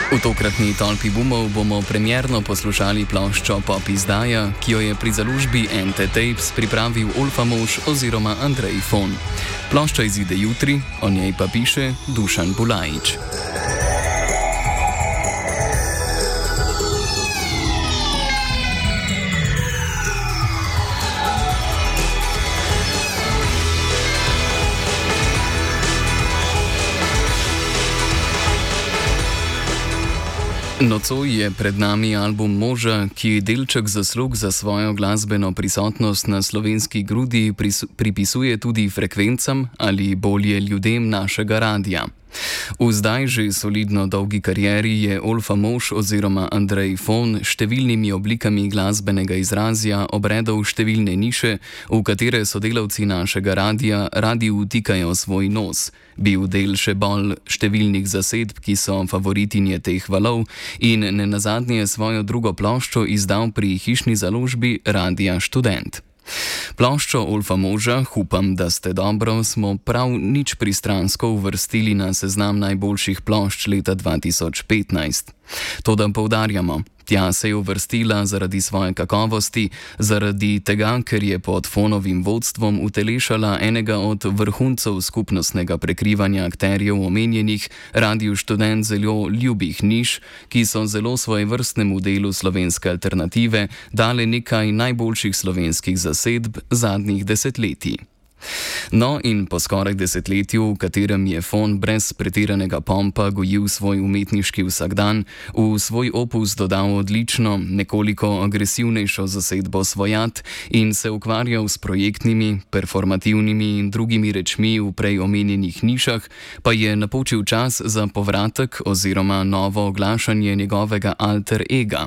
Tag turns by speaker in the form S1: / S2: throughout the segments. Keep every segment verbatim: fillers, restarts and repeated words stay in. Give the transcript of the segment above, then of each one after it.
S1: V tokratni Tolpi bumov bomo premierno poslušali ploščo Pop izdaja, ki jo je pri založbi N T Tapes pripravil Olfa Mož oziroma Andrej Fon. Plošča izide jutri, o njej pa piše Dušan Bulajič. Nocoj je pred nami album Moža, ki delček zaslug za svojo glasbeno prisotnost na slovenski grudi pripisuje tudi frekvencam ali bolje ljudem našega radia. V zdaj že solidno dolgi karieri je Olfa Mož oziroma Andrej Fon številnimi oblikami glasbenega izrazja obredal številne niše, v katere sodelavci našega radia radi vtikajo svoj nos, bil del še bolj številnih zasedb, ki so favoritinje teh valov, in nenazadnje svojo drugo ploščo izdal pri hišni založbi Radia Študent. Ploščo Olfa Moža, upam, da ste dobro, smo prav nič pristransko uvrstili na seznam najboljših plošč leta dva tisoč petnajst. Toda poudarjamo, tja se je uvrstila zaradi svoje kakovosti, zaradi tega, ker je pod Fonovim vodstvom utelešala enega od vrhuncev skupnostnega prekrivanja akterjev omenjenih Radiu Študent zelo ljubih niš, ki so zelo svojevrstnemu delu slovenske alternative dale nekaj najboljših slovenskih zasedb zadnjih desetletij. No, in po skoraj desetletju, v katerem je Fon brez pretiranega pompa gojil svoj umetniški vsakdan, v svoj opus dodal odlično, nekoliko agresivnejšo zasedbo Svojat in se ukvarjal s projektnimi, performativnimi in drugimi rečmi v prej omenjenih nišah, pa je napočil čas za povratek oziroma novo oglašanje njegovega alter ega.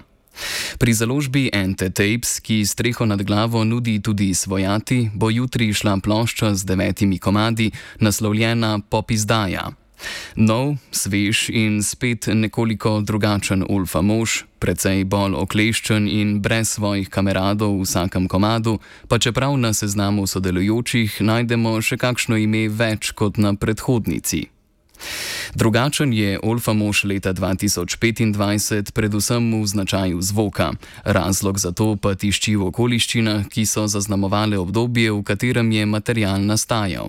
S1: Pri založbi N T Tapes, ki streho nad glavo nudi tudi Svojati, bo jutri šla plošča z devetimi komadi, naslovljena Pop izdaja. Nov, svež in spet nekoliko drugačen Olfa Mož, precej bolj okleščen in brez svojih kameradov v vsakem komadu, pa čeprav na seznamu sodelujočih najdemo še kakšno ime več kot na predhodnici. Drugačen je Olfa Mož leta dva tisoč petindvajset predvsem v značaju zvoka. Razlog za to pa tišči v okoliščinah, ki so zaznamovale obdobje, v katerem je material nastajal.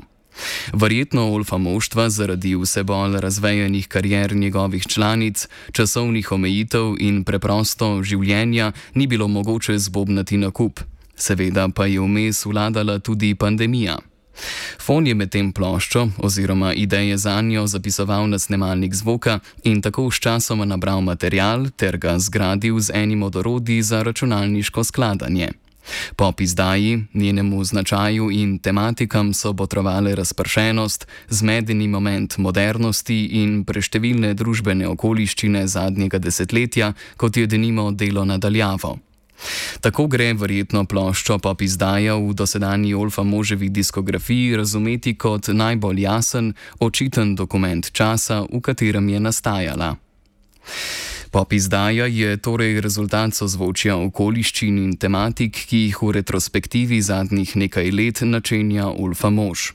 S1: Verjetno Olfa moštva zaradi vse bolj razvejanih karier njegovih članic, časovnih omejitev in preprosto življenja ni bilo mogoče zbobnati na kup. Seveda pa je vmes vladala tudi pandemija. Fon je med tem ploščo oziroma ideje zanjo zapisoval na snemalnik zvoka in tako s časoma nabral material ter ga zgradil z enim od orodij za računalniško skladanje. Pop izdaji, njenemu značaju in tematikam so botrovale razpršenost, zmedeni moment modernosti in preštevilne družbene okoliščine zadnjega desetletja, kot je denimo delo nadaljavo. Tako gre verjetno ploščo Pop izdaja v dosedanji Olfa Moževi diskografiji razumeti kot najbolj jasen, očiten dokument časa, v katerem je nastajala. Pop izdaja je torej rezultat sozvočja okoliščin in tematik, ki jih v retrospektivi zadnjih nekaj let načenja Olfa Mož.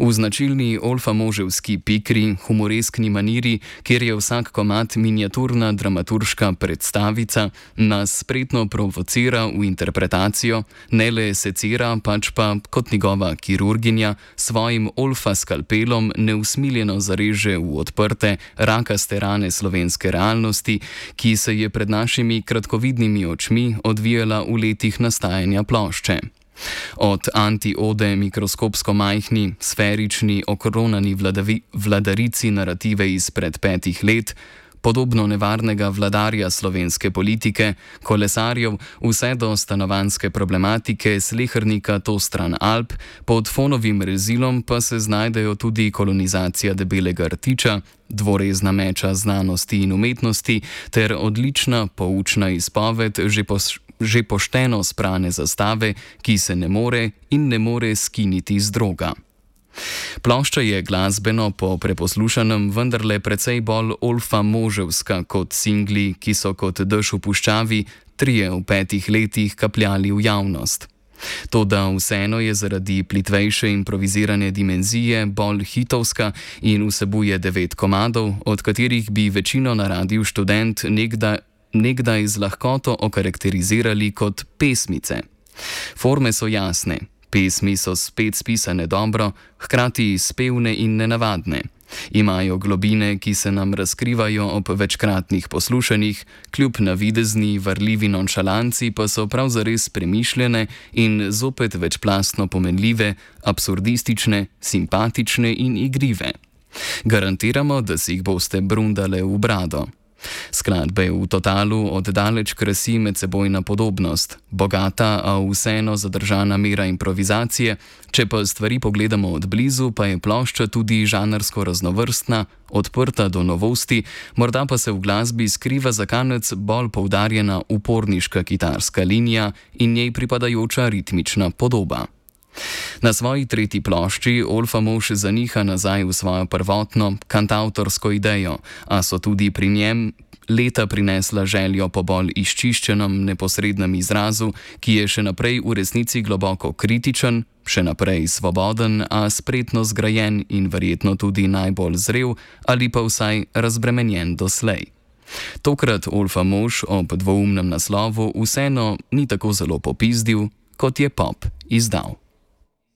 S1: V značilni Olfa Moževski pikri, humoreskni maniri, kjer je vsak komad miniaturna dramaturška predstavica, nas spretno provocira v interpretacijo, ne le secira, pač pa kot njegova kirurginja svojim Olfa skalpelom neusmiljeno zareže v odprte, rakaste rane slovenske realnosti, ki se je pred našimi kratkovidnimi očmi odvijala v letih nastajanja plošče. Od anti-ode mikroskopsko majhni, sferični, okronani vladavi, vladarici narative izpred petih let, podobno nevarnega vladarja slovenske politike, kolesarjev, vse do stanovanjske problematike slehernika to stran Alp, pod Fonovim rezilom pa se znajdejo tudi kolonizacija debelega rtiča, dvorezna meča znanosti in umetnosti ter odlična poučna izpoved že po že pošteno sprane zastave, ki se ne more in ne more skiniti z droga. Plošča je glasbeno po preposlušanem vendarle precej bolj Olfa Moževska kot singli, ki so kot dež v puščavi trije v petih letih kapljali v javnost. Toda vseeno je zaradi plitvejše improvizirane dimenzije bolj hitovska in vsebuje devet komadov, od katerih bi večino na Radiu Študent nekdaj, nekdaj z lahkoto okarakterizirali kot pesmice. Forme so jasne, pesmi so spet spisane dobro, hkrati spevne in nenavadne. Imajo globine, ki se nam razkrivajo ob večkratnih poslušanjih, kljub navidezni, varljivi nonšalanci pa so prav zares premišljene in zopet večplastno pomenljive, absurdistične, simpatične in igrive. Garantiramo, da si jih boste brundale v brado. Skladbe v totalu oddaleč krasi medsebojna podobnost, bogata, a vseeno zadržana mera improvizacije, če pa stvari pogledamo od blizu, pa je plošča tudi žanrsko raznovrstna, odprta do novosti, morda pa se v glasbi skriva za kanec bolj poudarjena uporniška kitarska linija in njej pripadajoča ritmična podoba. Na svoji tretji plošči Olfa Mož zaniha nazaj v svojo prvotno kantavtorsko idejo, a so tudi pri njem leta prinesla željo po bolj izčiščenem neposrednem izrazu, ki je še naprej v resnici globoko kritičen, še naprej svoboden, a spretno zgrajen in verjetno tudi najbolj zrel ali pa vsaj razbremenjen doslej. Tokrat Olfa Mož ob dvoumnem naslovu vseeno ni tako zelo popizdil, kot je pop izdal.